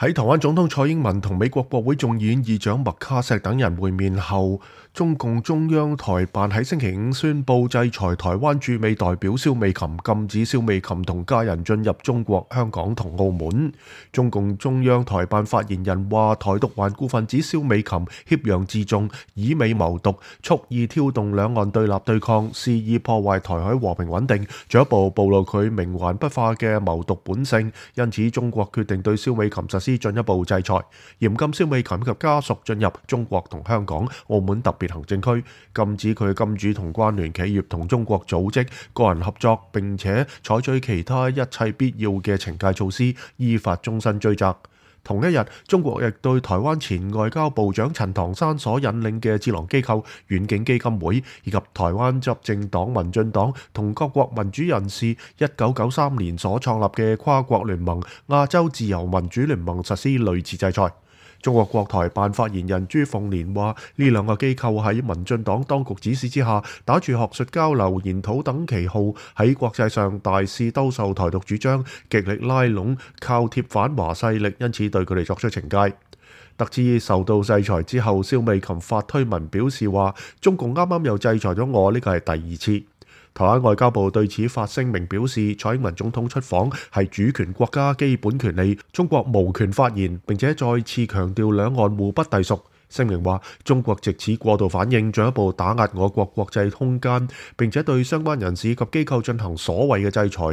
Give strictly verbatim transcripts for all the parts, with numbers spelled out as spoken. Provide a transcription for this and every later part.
喺台灣總統蔡英文同美國國會眾議院議長麥卡錫等人會面後，中共中央台辦喺星期五宣布制裁台灣駐美代表蕭美琴，禁止蕭美琴同家人進入中國香港同澳門。中共中央台辦發言人話，台獨頑固分子蕭美琴挾洋自重，以美謀獨，蓄意挑動兩岸對立對抗，肆意破壞台海和平穩定，進一步暴露佢冥頑不化嘅謀獨本性。因此，中國決定對蕭美琴實施進一步制裁，嚴禁蕭美琴及家屬進入中國同香港、澳門特別行政區，禁止佢金主同關聯企業同中國組織、個人合作，並且採取其他一切必要嘅懲戒措施，依法終身追責。同一日，中國亦對台灣前外交部長陳唐山所引領嘅智囊機構遠景基金會，以及台灣執政黨民進黨同各國民主人士一九九三年所創立嘅跨國聯盟亞洲自由民主聯盟實施類似制裁。中國國台辦發言人朱鳳蓮話：呢兩個機構喺民進黨當局指示之下，打住學術交流、研討等旗號，喺國際上大肆兜售台獨主張，極力拉攏靠貼反華勢力，因此對佢哋作出懲戒。得知受到制裁之後，蕭美琴發推文表示話：中共啱啱又制裁咗我，呢個係第二次。台灣外交部對此發聲明表示，蔡英文總統出訪係主權國家基本權利，中國無權發言，並且再次強調兩岸互不隸屬。聲明話，中國藉此過度反應，進一步打壓我國國際空間，並且對相關人士及機構進行所謂嘅制裁。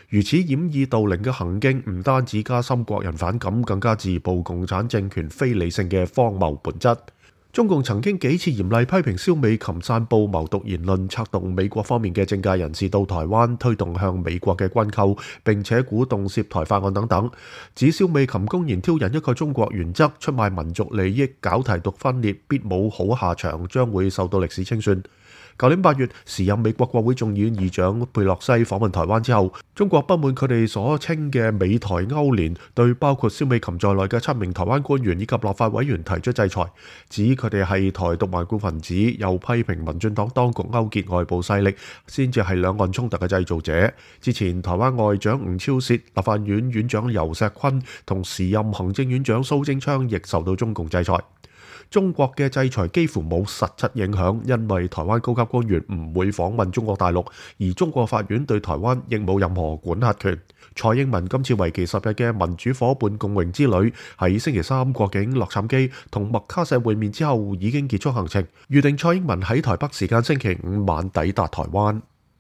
如此掩耳盜鈴嘅行徑，唔單止加深國人反感，更加自曝共產政權非理性嘅荒謬本質。中共曾經幾次嚴厲批評蕭美琴散佈謀獨言論，策動美國方面嘅政界人士到台灣，推動向美國嘅軍購，並且鼓動涉台法案等等，指蕭美琴公然挑釁一個中國原則，出賣民族利益，搞台獨分裂，必冇好下場，將會受到歷史清算。舊年八月，時任美國國會眾議院議長佩洛西訪問台灣之後，中國不滿佢哋所稱嘅美台勾連，對包括蕭美琴在內嘅七名台灣官員以及立法委員提出制裁，指佢哋係台獨頑固分子，又批評民進黨當局勾結外部勢力，先至係兩岸衝突嘅製造者。之前台灣外長吳釗燮、立法院院長游錫堃同時任行政院長蘇貞昌亦受到中共制裁。中國嘅制裁幾乎冇實質影響，因為台灣高級官員唔會訪問中國大陸，而中國法院對台灣亦冇任何管轄權。蔡英文今次為期十日嘅民主夥伴共榮之旅，喺星期三過境洛杉磯同麥卡錫會面之後已經結束行程，預定蔡英文喺台北時間星期五晚抵達台灣。